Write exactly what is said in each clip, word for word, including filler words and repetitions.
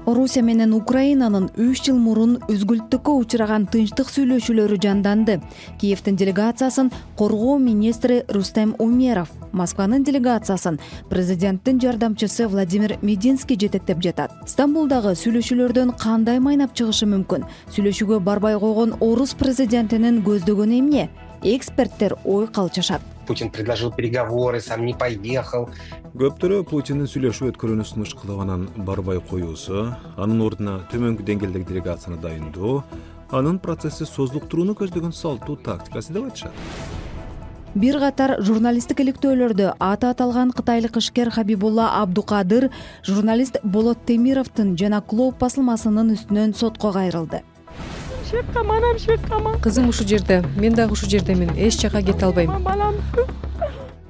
Орусия менен Украинанын үч жыл мурун үзгүлтүккө учураган тынчтык сүйлөшүүлөрү жанданды. Киевдин делегациясын коргоо министри Рустем Умеров, Москванын делегациясын президенттин жардамчысы Владимир Мединский жетектеп жатат. Стамбулдагы сүйлөшүүлөрдөн кандай майнап чыгышы мүмкүн? Сүйлөшүүгө барбай койгон орус президентинин көздөгөнү эмне? Эксперттер ой калчышат. Путин предложил переговоры, сам не поехал. Көптөрү Путиндин сүйлөшүү өткөрүүнү сунуш кылып анан барбай коюусу, анын ордуна төмөнкү деңгээлдеги делегацияны дайындоо, анын процессти созулуктурууну көздөгөн салттуу тактикасы деп айтышат. Бир катар журналисттик иликтөөлөрдө аты аталган кытайлык ишкер Хабибулла Абдукадыр журналист Болот Темировдун жана Клоп басылмасынын үстүнөн сотко кайрылды. Кызым ушул жерде, мен дагы ушул жердемин, эч жака кете албайм.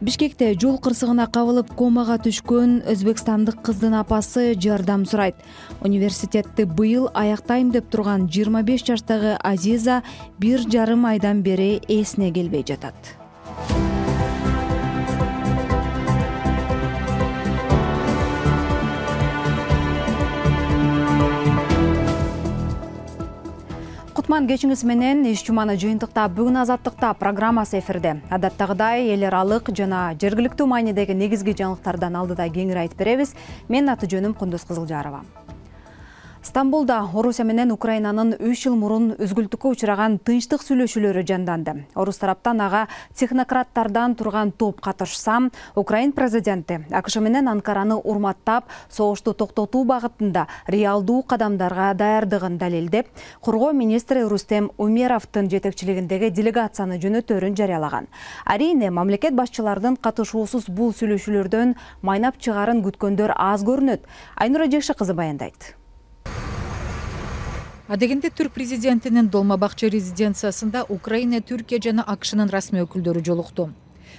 Бишкекте жол кырсыгына кабылып комага түшкөн өзбекстандык кыздын апасы жардам сурайт. Университетти быйыл аяктайм деп турган жыйырма беш жаштагы Азиза бир жарым айдан бери эсине келбей жатат. Кутман кечиңиз менен иш жуманы жыйынтыктап бүгүн Азаттыкта программасы эфирде. Адаттагыдай эл аралык жана жергиликтүү маанидеги негизги жаңылыктардан алдыда кеңири айтып беребиз. Менин аты жөнүм Кундуз Кызылжарова. Стамбулда Орусия менен Украинанын үч жыл мурун үзгүлтүккө учураган тынчтык сүйлөшүүлөрү жанданды. Орус тараптан ага технократтардан турган топ катышса, Украин президенти АКШ менен Анкараны урматтап, согушту токтотуу багытында реалдуу кадамдарга даярдыгын далилдеп, коргоо министри Рустем Умеровдун жетекчилигиндеги делегацияны жөнөтөөрүн жарыялаган. Арийне мамлекет башчыларынын катышуусуз бул сүйлөшүүлөрдөн майнап чыгарын күткөндөр аз көрүнөт. Айнура Жекши кызы баяндайт. Адегенде түрк президентинин Долмабакчы резиденциясында Украина, Түркия жана АКШнын расмий өкүлдөрү жолукту.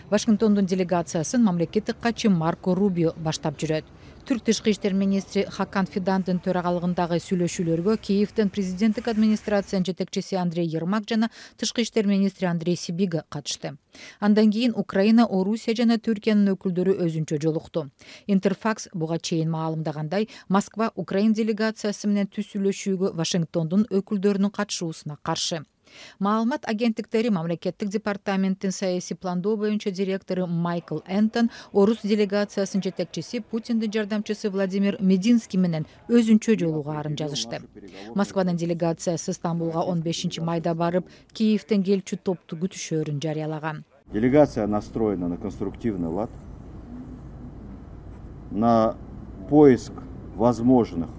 Вашингтондун делегациясын мамлекеттик катчы Марко Рубио баштап жүрөт. Түрк тышкы иштер министри Хакан Фидандын төрагалыгындагы сүйлөшүүлөргө Киевдин президенттик администрациянын жетекчиси Андрей Ермак жана тышкы иштер министри Андрей Сибига катышты. Андан кийин Украина, Орусия жана Түркиянын өкүлдөрү өзүнчө жолукту. Интерфакс буга чейин маалымдагандай, Москва Украин делегациясы менен түз сүйлөшүүгө Вашингтондун өкүлдөрүнүн катышуусуна каршы. Маалымат агенттиктери мамлекеттик департаменттин саясий пландоо боюнча директору Майкл Энтон, орус делегациясынын жетекчиси Путиндин жардамчысы Владимир Мединский менен өзүнчө жолугаарын жазышты. Москванын делегациясы Стамбулга он бешинчи майда барып, Киевден келчү топту күтүшөөрүн жарыялаган. Делегация настроена на конструктивный лад, на поиск возможных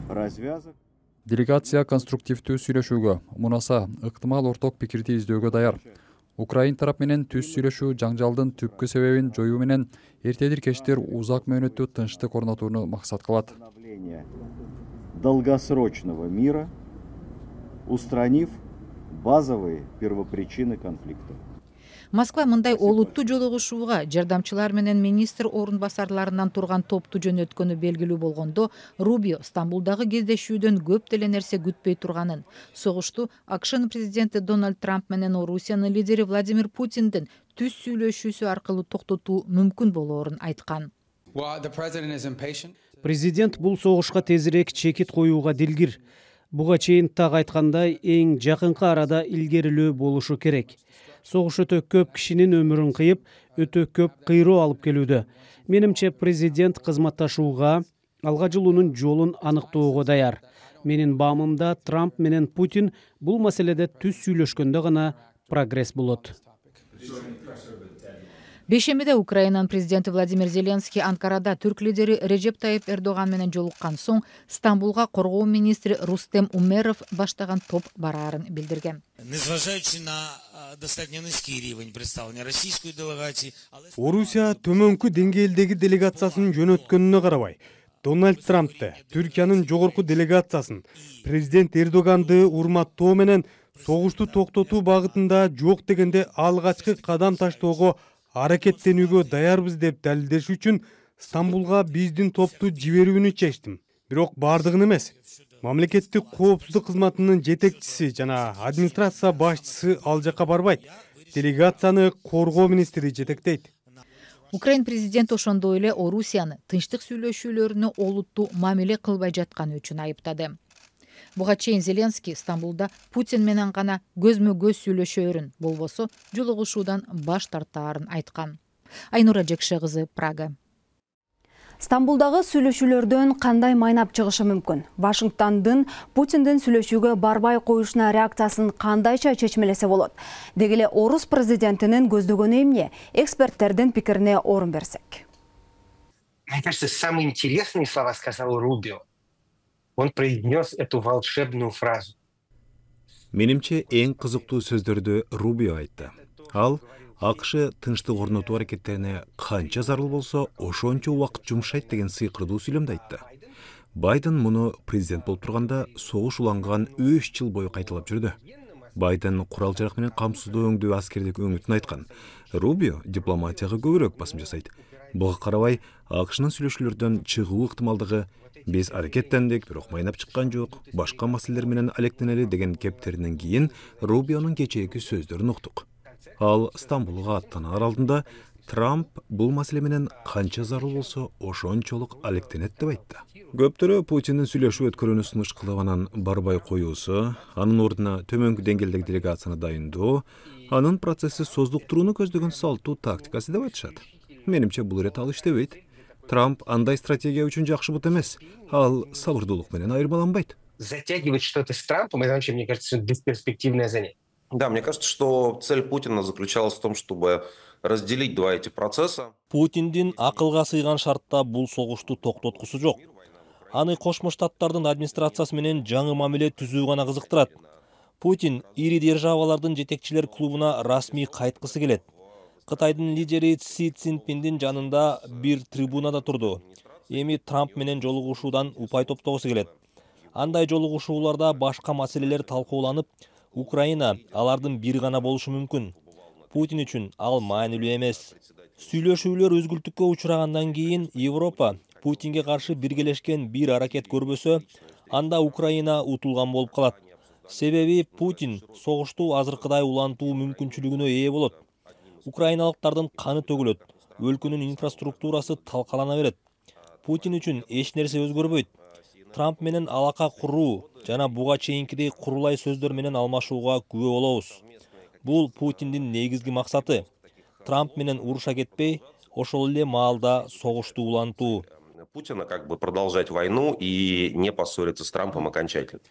развязок. Делегация конструктивдүү сүйлөшүүгө, мунаса ыктымал орток пикирди издөөгө даяр. Украин тарап менен түз сүйлөшүү жаңжалдын түпкү себебин жоюу менен эртедир кечтир узак мөөнөттүү тынчтык орнотууну максат кылат. Долгосрочного мира, устранив базовые первопричины конфликта. Москва мындай олуттуу жолугушууга жардамчылар менен министр орун басарларынан турган топту жөнөткөнү белгилүү болгондо, Рубио Стамбулдагы кездешүүдөн көп деле нерсе күтпөй турганын, согушту АКШнын президенти Дональд Трамп менен Орусиянын лидери Владимир Путиндин түз сүйлөшүүсү аркылуу токтотуу мүмкүн болоорун айткан. Президент бул согушка тезирээк чекит коюуга дилгир. Буга чейин так айткандай, эң жакынкы арада илгерилөө болушу керек. Согуш өтө көп кишинин өмүрүн кыйып, өтө көп кыйроо алып келүүдө. Менимче президент кызматташууга, алга жылуунун жолун аныктоого даяр. Менин баамымда Трамп менен Путин бул маселеде түз сүйлөшкөндө гана прогресс болот. Бейшембиде Украинанын президенти Владимир Зеленский Анкарада түрк лидери Режеп Тайып Эрдоган менен жолуккан соң Стамбулга коргоо министри Рустем Умеров баштаган топ бараарын билдирген. Орусия төмөнкү деңгээлдеги делегациясын жөнөткөнүнө карабай, Дональд Трампты, Түркиянын жогорку делегациясын, президент Эрдоганды урматтоо менен согушту токтотуу багытында жок дегенде алгачкы кадам таштоого аракеттенүүгө даярбыз деп далилдеш үчүн Стамбулга биздин топту жиберүүнү чечтим. Бирок бардыгын эмес. Мамлекеттик коопсуздук кызматынын жетекчиси жана администрация башчысы ал жакка барбайт. Делегацияны коргоо министри жетектейт. Украин президенти ошондой эле Орусияны тынчтык сүйлөшүүлөрүнө олуттуу мамиле кылбай жатканы үчүн айыптады. Буга чейин Зеленский Стамбулда Путин менен гана көзмө көз сүйлөшөөрүн, болбосо жолугушуудан баш тартаарын айткан. Айнура Жекше кызы, Прага. Стамбулдагы сүйлөшүүлөрдөн кандай майнап чыгышы мүмкүн? Вашингтондун Путиндин сүйлөшүүгө барбай коюшуна реакциясын кандайча чечмелесе болот? Деги эле орус президентинин көздөгөнү эмне? Эксперттердин пикирине орун берсек. Мне кажется, самые интересные слова сказал Рубио. Он произнес эту волшебную фразу. Менимче эң кызыктуу сөздөрдү Рубио айтты. Ал АКШ тынчтык орнотуу аракеттерине канча зарыл болсо, ошончо убакыт жумшайт деген сыйкырдуу сүйлөмдү айтты. Байден муну президент болуп турганда согуш уланган үч жыл бою кайталап жүрдү. Байден курал жарак менен камсыздуу өңдүү аскердик өңүтүн айткан. Рубио дипломатияга көбүрөөк басым жасайт. Буга карабай, АКШнын сүйлөшүүлөрдөн чыгуу ыктымалдыгы биз аракеттендик, бирок майнап чыккан жок, башка маселелер менен алектенели деген кептеринен кийин Рубионун кечээки сөздөрүн уктук. Ал Стамбулга аттанаар алдында Трамп бул маселе менен канча зарыл болсо ошончолук алектенет деп айтты. Көптөрү Путиндин сүйлөшүү өткөрүүнү сунуш кылып анан барбай коюусу, анын ордуна төмөнкү деңгээлдеги делегацияны дайындоо, анын процесси создуктурууну көздөгөн салтуу тактикасы деп айтышат. Менимче бул ирет ал иштебейт. Трамп андай стратегия үчүн жакшы бут эмес. Ал сабырдуулук менен айырмаланбайт. Затягивать что-то с Трампом, это вообще, мне кажется, бесперспективное занятие. Да, мне кажется, что цель Путина заключалась в том, чтобы разделить два эти процесса. Путиндин акылга сыйган шартта бул согушту токтоткусу жок. Аны Кошмо Штаттардын администрациясы менен жаңы мамиле түзүү гана кызыктырат. Путин ири державалардын жетекчилер клубуна расмий кайткысы келет. Кытайдын лидери Си Цзиньпиндин жанында бир трибунада турду. Эми Трамп менен жолугушуудан упай топтогусу келет. Андай жолугушууларда башка маселелер талкууланып, Украина алардын бири гана болушу мүмкүн. Путин үчүн ал маанилүү эмес. Сүйлөшүүлөр өзгүлтүккө учурагандан кийин Европа Путинге каршы биргелешкен бир аракет көрбөсө, анда Украина утулган болуп калат. Себеби Путин согушту азыркыдай улантуу мүмкүнчүлүгүнө ээ болот. Украиналыктардын каны төгүлөт, өлкөнүн инфраструктурасы талкалана берет. Путин үчүн эч нерсе өзгөрбөйт. Трамп менен алака куруу жана буга чейинкидей курулай сөздөр менен алмашууга күбө болобуз. Бул Путиндин негизги максаты. Трамп менен уруша кетпей, ошол эле маалда согушту улантуу. Путина как бы продолжать войну и не поссориться с Трампом окончательно.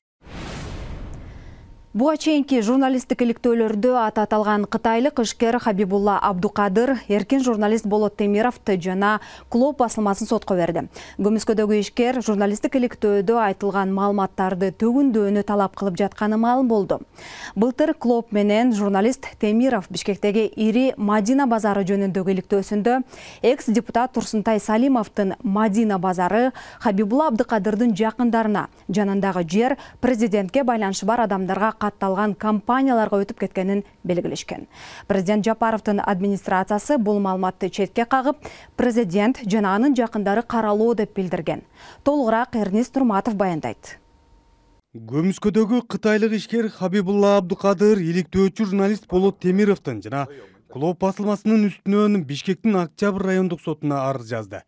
Буга чейинки журналисттик иликтөөлөрдө аты аталган кытайлык ишкер Хабибулла Абдукадыр эркин журналист Болот Темировду жана Клоп басылмасын сотко берди. Көмүскөдөгү ишкер журналисттик иликтөөдө айтылган маалыматтарды төгүндөөнү талап кылып жатканы маалым болду. Былтыр Клоп менен журналист Темиров Бишкектеги ири Мадина базары жөнүндөгү иликтөөсүндө экс-депутат Турсунтай Салимовдун Мадина базары Хабибулла Абдукадырдын жакындарына, жанындагы жер президентке байланышы бар адамдарга катталган компанияларга өтүп кеткенин белгилешкен. Президент Жапаровдун администрациясы бул маалыматты четке кагып, президент жана анын жакындары каралуу деп билдирген. Толугураак Эрнис Турматов баяндайт. Көмүскөдөгү кытайлык ишкер Хабибулла Абдукадыр иликтөөчү журналист Болот Темировдун жана Клоп басылмасынын үстүнөн Бишкектин Октябрь райондук сотуна арыз жазды.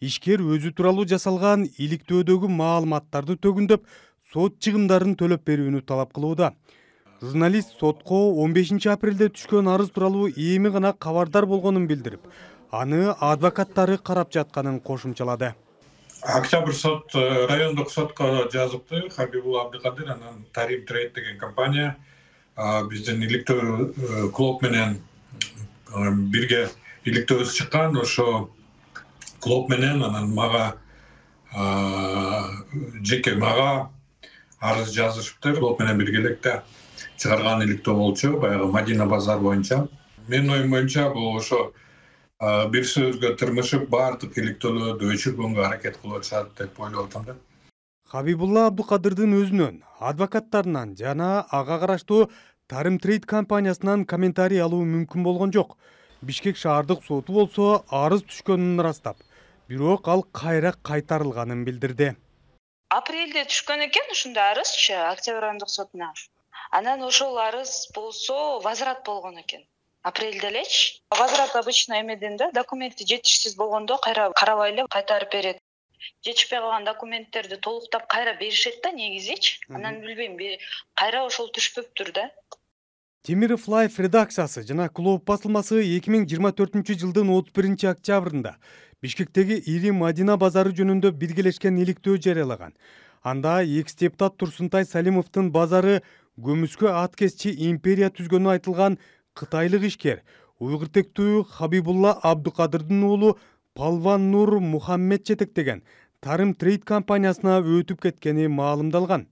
Ишкер өзү тууралуу жасалган иликтөөдөгү маалыматтарды төгүндөп, сот чыгымдарын төлөп берүүнү талап кылууда. Журналист сотко он бешинчи апрелде түшкөн арыз тууралуу эми гана кабардар болгонун билдирип, аны адвокаттары карап жатканын кошумчалады. Октябрь сот райондук сотко жазыпты. Хабибулла Абдукадыр анан Тарим Трейд деген компания биздин иликтөө Клоп менен бирге иликтөөбүз чыккан. Ошо Клоп менен анан мага жеке мага арыз жазышыптыр. Клоп менен биргеликте чыгарган иликтөө болчу, баягы Мадина базар боюнча. Менин оюм боюнча бул ошо бир сөзгө тырмышып баардык иликтөөлөрдү өчүргөнгө аракет кылып атышат деп ойлоп атам да. Хабибулла Абдукадырдын өзүнөн, адвокаттарынан жана ага караштуу Тарим Трейд компаниясынан комментарий алуу мүмкүн болгон жок. Бишкек шаардык соту болсо арыз түшкөнүн ырастап, бирок ал кайра кайтарылганын билдирди. Апрелде түшкөн экен ушундай арызчы Октябрь райондук сотуна. Анан ошол арыз болсо возврат болгон экен. апрелде элечи. Возврат обычно эмеден да документи жетишсиз болгондо кайра карабай эле кайтарып берет. Жетишпей калган документтерди толуктап кайра беришет да негизичи. Анан билбейм, кайра ошол түшпөптүр да. Темиров Лайф редакциясы жана Клуб басылмасы эки миң жыйырма төртүнчү жылдын отуз биринчи октябрында Бишкектеги ири Мадина базары жөнүндө биргелешкен иликтөө жарыялаган. Анда экс-депутат Турсунтай Салимовдун базары көмүскө аткезчи империя түзгөнү айтылган кытайлык ишкер уйгуртектүү Хабибулла Абдукадырдын уулу Палван Нур Мухаммед жетектеген Тарым Трейд компаниясына өтүп кеткени маалымдалган.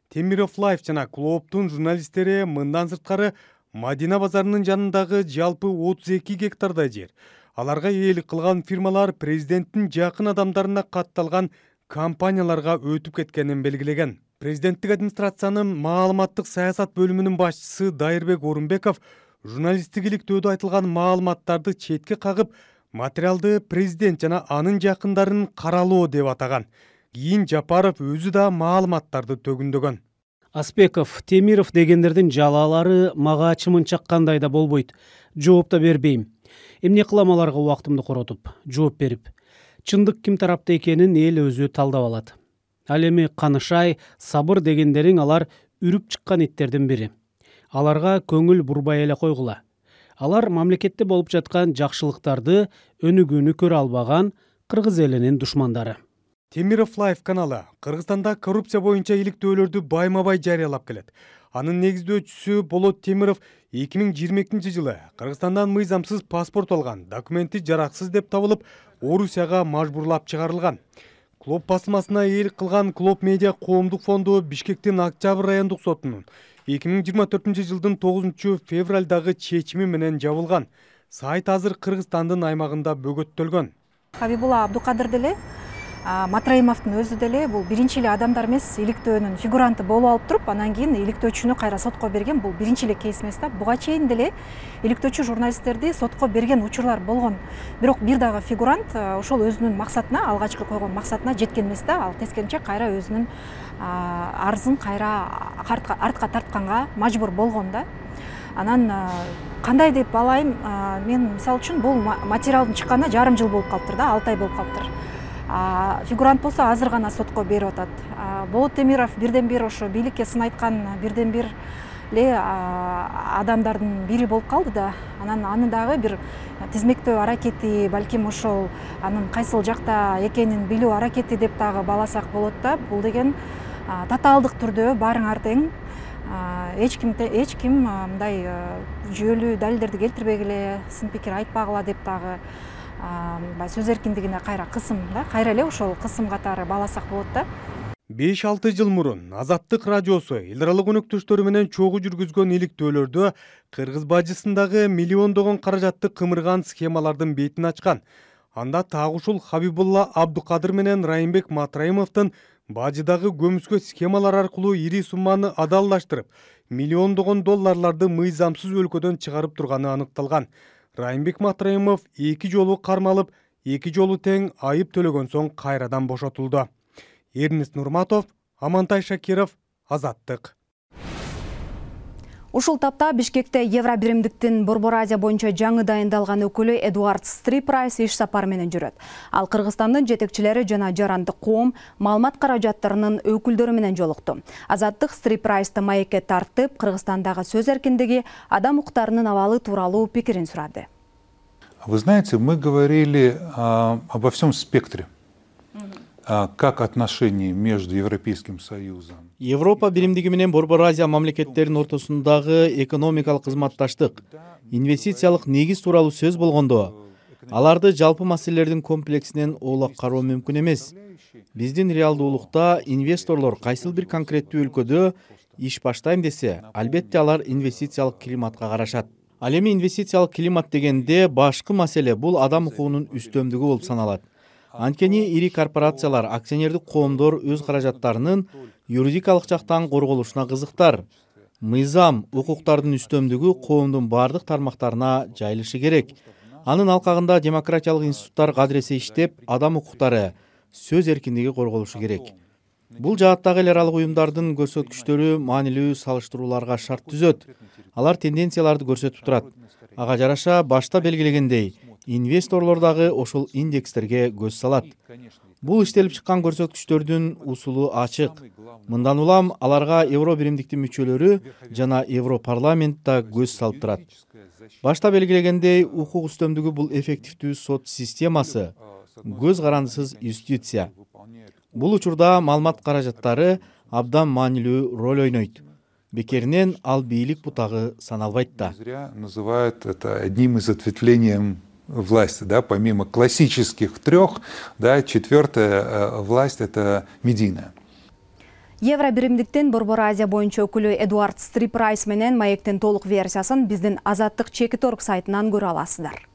Темиров Лайф жана Клубтун журналисттери мындан сырткары Мадина базарынын жанындагы жалпы отуз эки гектардай жер, аларга ээлик кылган фирмалар президенттин жакын адамдарына катталган компанияларга өтүп кеткенин белгилеген. Президенттик администрациянын маалыматтык саясат бөлүмүнүн башчысы Дайырбек Орунбеков журналисттик иликтөөдө айтылган маалыматтарды четке кагып, материалды президент жана анын жакындарын каралоо деп атаган. Кийин Жапаров өзү да маалыматтарды төгүндөгөн. Аспеков, Темиров дегендердин жалалары мага ачымын чаккандай да болбойт. Жооп да бербейм. Эмне кылам аларга убактымды коротуп, жооп берип. Чындык ким тарапта экенин эл өзү талдап алат. Ал эми Канышай, Сабыр дегендериң алар үрүп чыккан иттердин бири. Аларга көңүл бурбай эле койгула. Алар мамлекетте болуп жаткан жакшылыктарды өнүгүүнү көрө албаган кыргыз элинин душмандары. Темиров Лайф каналы Кыргызстанда коррупция боюнча иликтөөлөрдү байма-бай жарыялап келет. Анын негиздөөчүсү Болот Темиров эки миң жыйырма экинчи жылы Кыргызстандан мыйзамсыз паспорт алган, документи жараксыз деп табылып, Орусияга мажбурлап чыгарылган. Клуб басылмасына ээлик кылган Клуб медиа коомдук фонду Бишкектин Октябрь райондук сотунун эки миң жыйырма төртүнчү жылдын тогузунчу февралдагы чечими менен жабылган. Сайт азыр Кыргызстандын аймагында бөгөттөлгөн. Хабибулла Абдукадыр деле, Матраимовдун өзү деле бул биринчи эле адамдар эмес, иликтөөнүн фигуранты болуп алып туруп, анан кийин иликтөөчүнү кайра сотко берген. Бул биринчи эле кейс эмес да. Буга чейин деле иликтөөчү журналисттерди сотко берген учурлар болгон. Бирок бир дагы фигурант ошол өзүнүн максатына, алгачкы койгон максатына жеткен эмес да. Ал тескерисинче кайра өзүнүн арызын кайра артка тартканга мажбур болгон да. Анан кандай деп алайын, мен мисалы үчүн бул материалдын чыкканына жарым жыл болуп калыптыр да, алты ай болуп калыптыр. Фигурант болсо азыр гана сотко берип атат. Болот Темиров бирден бир ошо бийликке сын айткан бирден бир эле адамдардын бири болуп калды да. Анан аны дагы бир тизмектөө аракети, балким ошол анын кайсыл жакта экенин билүү аракети деп дагы бааласак болот да. Бул деген татаалдык түрдө баарыңар тең. Эч ким эч ким мындай жүйөлүү далилдерди келтирбей эле, сын пикир айтпагыла деп дагы сөз эркиндигине кайра кысым да, кайра эле ошол кысым катары бааласак болот да. беш алты жыл мурун Азаттык радиосу эл аралык өнөктөштөрү менен чогуу жүргүзгөн иликтөөлөрдө Кыргыз бажысындагы миллиондогон каражатты кымырган схемалардын бетин ачкан. Анда так ушул Хабибулла Абдукадыр менен Райымбек Матраимовдун бажыдагы көмүскө схемалар аркылуу ири сумманы адаллаштырып, миллиондогон долларларды мыйзамсыз өлкөдөн чыгарып турганы аныкталган. Райымбек Матраимов эки жолу кармалып, эки жолу тең айып төлөгөн соң кайрадан бошотулду. Эрнест Нурматов, Амантай Шакиров, Азаттык. Ушул тапта Бишкекте Евро биримдиктин Борбор Азия боюнча жаңы дайындалган өкүлү Эдуард Стрипрайс иш сапар менен жүрөт. Ал Кыргызстандын жетекчилери жана жарандык коом, маалымат каражаттарынын өкүлдөрү менен жолукту. Азаттык Стрипрайсты маекке тартып, Кыргызстандагы сөз эркиндиги, адам укуктарынын абалы тууралуу пикирин сурады. Вы знаете, мы говорили а, обо всем спектре. Как отношения между Европейским Союзом. Европа биримдиги менен Борбор Азия мамлекеттеринин ортосундагы экономикалык кызматташтык, инвестициялык негиз тууралуу сөз болгондо, аларды жалпы маселелердин комплексинен оолак кароо мүмкүн эмес. Биздин реалдуулукта инвесторлор кайсыл бир конкреттүү өлкөдө иш баштайм десе, албетте алар инвестициялык климатка карашат. Ал эми инвестициялык климат дегенде башкы маселе бул адам укугунун үстөмдүгү болуп саналат. Анткени ири корпорациялар, акционердик коомдор өз каражаттарынын юридикалык жактан корголушуна кызыктар. Мыйзам, укуктардын үстөмдүгү коомдун бардык тармактарына жайылышы керек. Анын алкагында демократиялык институттар кадыресе иштеп, адам укуктары, сөз эркиндиги корголушу керек. Бул жааттагы эл аралык уюмдардын көрсөткүчтөрү маанилүү салыштырууларга шарт түзөт. Алар тенденцияларды көрсөтүп турат. Ага жараша башта белгилегендей, инвесторлор дагы ошол индекстерге көз салат. Бул иштелип чыккан көрсөткүчтөрдүн усулу ачык. Мындан улам аларга евро биримдиктин мүчөлөрү жана Европарламент да көз салып турат. Башта белгилегендей, укук үстөмдүгү бул эффективдүү сот системасы, көз карандысыз юстиция. Бул учурда маалымат каражаттары абдан маанилүү роль ойнойт. Бекеринен ал бийлик бутагы саналбайт да. Называют это одним из ответвлений власти, да, помимо классических трех, да, четвертая власть это медийная. Евро биримдиктин Борбор Азия боюнча өкүлү Эдуард Стрипрайс менен маектин толук версиясын биздин Азаттык Чекит орг сайтынан көрө аласыздар.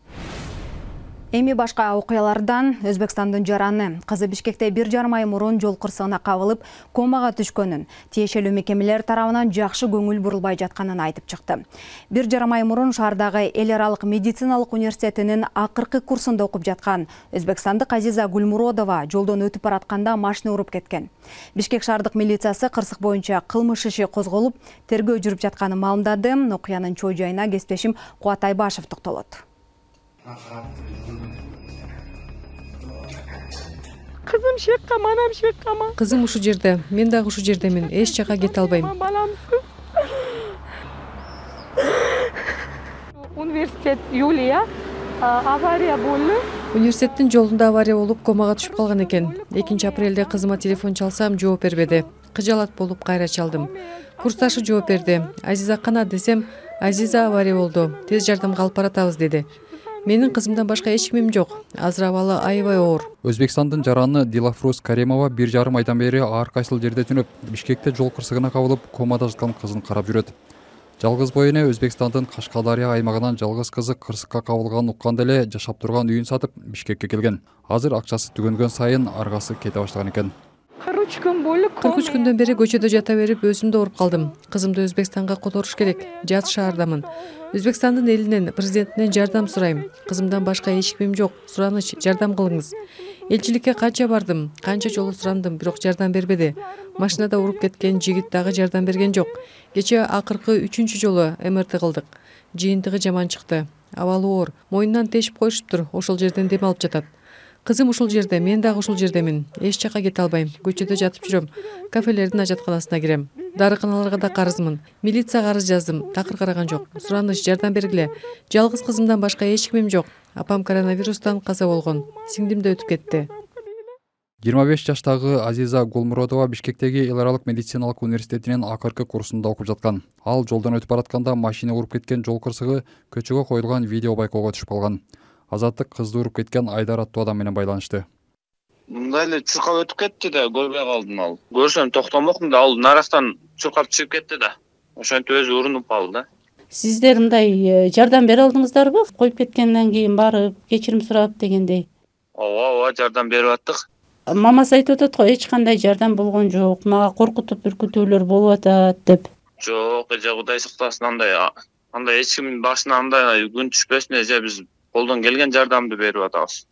Эми башка окуялардан Өзбекстандын жараны кызы Бишкекте бир жарым ай мурун жол кырсыгына кабылып комага түшкөнүн, тиешелүү мекемелер тарабынан жакшы көңүл бурулбай жатканын айтып чыкты. Бир жарым ай мурун шаардагы эл аралык медициналык университетинин акыркы курсунда окуп жаткан өзбекстандык Азиза Гулмуродова жолдон өтүп баратканда машина уруп кеткен. Бишкек шаардык милициясы кырсык боюнча кылмыш иши козголуп, тергөө жүрүп жатканын маалымдады. Окуянын чоо жайына кесиптешим Кубат Айбашев токтолот. Кызым шекка, манам шеккама. Кызым ушул жерде, мен дагы ушул жердемин. Эч жака кете албайм. Баламсыз. Университет Юлия авария болду. Университеттин жолунда авария болуп, комага түшүп калган экен. экинчи апрелде кызыма телефон чалсам, жооп бербеди. Кыжалат болуп кайра чалдым. Курсташы жооп берди. Азиза кана десем, Азиза авария болду. Тез жардамга алып баратабыз деди. Менин кызымдан башка эч кимим жок. Азыр абалы аябай оор. Өзбекстандын жараны Дилафрус Каримова бир жарым айдан бери ар кайсыл жерде түнөп, Бишкекте жол кырсыгына кабылып, комада жаткан кызын карап жүрөт. Жалгыз бой эне Өзбекстандын Кашкадария аймагынан жалгыз кызы кырсыкка кабылганын укканда эле жашап турган үйүн сатып Бишкекке келген. Азыр акчасы түгөнгөн сайын аргасы кете баштаган экен. кырк үч күн болуп, кырк үч күндөн бери көчөдө жата берип, өзүм да ооруп калдым. Кызымды Өзбекстанга которуш керек. Жат шаардамын. Өзбекстандын элинен, президентинен жардам сурайм. Кызымдан башка эч кимим жок. Сураныч, жардам кылыңыз. Элчиликке канча бардым, канча жолу сурандым, бирок жардам бербеди. Машинада уруп кеткен жигит дагы жардам берген жок. Кечээ акыркы үчүнчү жолу эм эр тэ кылдык. Жыйынтыгы жаман чыкты. Абалы оор. Мойнунан тешип коюшуптур. Ошол жерден дем алып жатат. Кызым ушул жерде, мен дагы ушул жердемин. Эч жака кете албайм. Көчөдө жатып жүрөм. Кафелердин ажатканасына кирем. Дарыканаларга да карызмын. Милицияга арыз жаздым. Такыр караган жок. Сураныч, жардам бергиле. Жалгыз кызымдан башка эч кимим жок. Апам коронавирустан каза болгон. Сиңдим да өтүп кетти. жыйырма беш жаштагы Азиза Гулмуродова Бишкектеги эл аралык медициналык университетинин акыркы курсунда окуп жаткан. Ал жолдон өтүп баратканда машина уруп кеткен жол кырсыгы көчөгө коюлган видео байкоого түшүп калган. Азаттык кызды уруп кеткен Айдар аттуу адам менен байланышты. Мындай эле чуркап өтүп кетти да, көрбөй калдым ал. Көрсөм токтомокмун да, ал нарастан чуркап чыгып кетти да. Ошентип өзү урунуп калды да. Сиздер мындай жардам бере алдыңыздарбы? Коюп кеткенден кийин барып, кечирим сурап дегендей. Ооба, ооба, жардам берип аттык. Мамасы айтып атат го, эч кандай жардам болгон жок. Мага коркутуп үркүтүүлөр болуп атат деп. Жок, эже Кудай сактасын, андай андай эч кимдин башына андай күн түшпөсүн, эже биз колдон келген жардамды берип атабыз.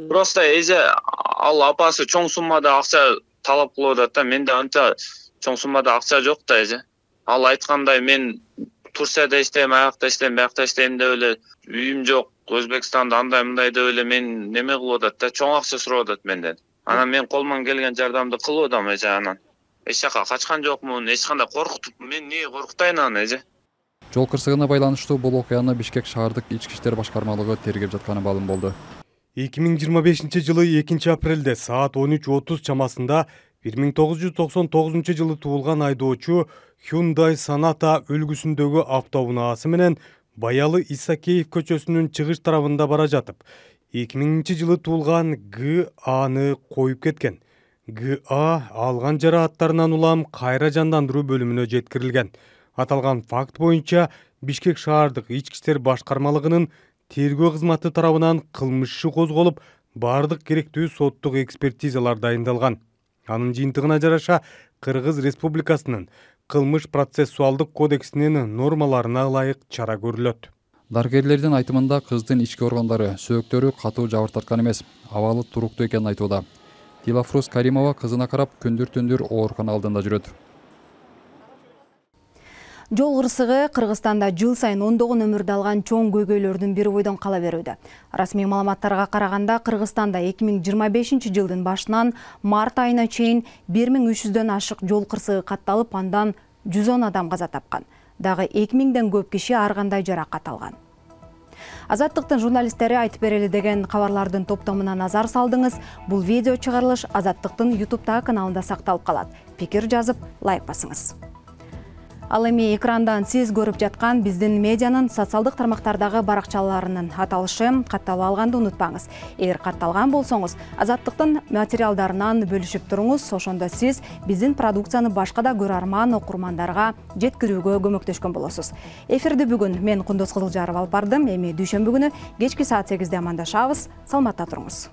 Просто эже ал апасы чоң суммада акча талап кылып атат да, менде анча чоң суммада акча жок да эже. Ал айткандай мен Турцияда иштейм, аякта иштейм, биякта иштейм деп эле үйүм жок, Өзбекстанда андай мындай деп эле мен неме кылып атат да, чоң акча сурап атат менден. Анан мен колуман келген жардамды кылып атам эже, анан эч жака качкан жокмун, эч кандай коркутуп, мен эмне коркутайын аны эже. Жол кырсыгына байланыштуу бул окуяны Бишкек шаардык ички иштер башкармалыгы тергеп жатканы маалым болду. эки миң жыйырма бешинчи жылы экинчи апрелде саат он үч отуз чамасында бир миң тогуз жүз токсон тогузунчу жылы туулган айдоочу Hyundai Sonata үлгүсүндөгү автоунаасы менен Баялы Исакеев көчөсүнүн чыгыш тарабында бара жатып, эки миңинчи жылы туулган Г Аны коюп кеткен. Г А алган жарааттарынан улам кайра жандандыруу бөлүмүнө жеткирилген. Аталган факт боюнча Бишкек шаардык ички иштер башкармалыгынын тергөө кызматы тарабынан кылмыш иши козголуп, бардык керектүү соттук экспертизалар дайындалган. Анын жыйынтыгына жараша Кыргыз Республикасынын кылмыш процессуалдык кодексинин нормаларына ылайык чара көрүлөт. Дарыгерлердин айтымында кыздын ички органдары сөөктөрү катуу жабыр тарткан эмес, абалы туруктуу экенин айтууда. Дилафрус Каримова кызына карап күндүр түндүр оорукана алдында жүрөт. Жол кырсыгы Кыргызстанда жыл сайын ондогон өмүрдү алган чоң көйгөйлөрдүн бири бойдон кала берүүдө. Расмий маалыматтарга караганда Кыргызстанда эки миң жыйырма бешинчи жылдын башынан март айына чейин бир миң үч жүздөн ашык жол кырсыгы катталып, андан жүз он адам каза тапкан. Дагы эки миңден көп киши ар кандай жаракат алган. Азаттыктын журналисттери айтып берели деген кабарлардын топтомуна назар салдыңыз. Бул видео чыгарылыш Азаттыктын YouTube каналында сакталып калат. Пикир жазып, лайк басыңыз. Ал эми экрандан сиз көрүп жаткан биздин медианын социалдык тармактардагы баракчаларынын аталышын катталып алганды унутпаңыз. Эгер катталган болсоңуз, Азаттыктын материалдарынан бөлүшүп туруңуз. Ошондо сиз биздин продукцияны башка да көрөрман окурмандарга жеткирүүгө көмөктөшкөн болосуз. Эфирди бүгүн мен Кундуз Кызылжаров алып бардым. Эми дүйшөмбү күнү кечки саат сегизде амандашабыз. Саламатта туруңуз.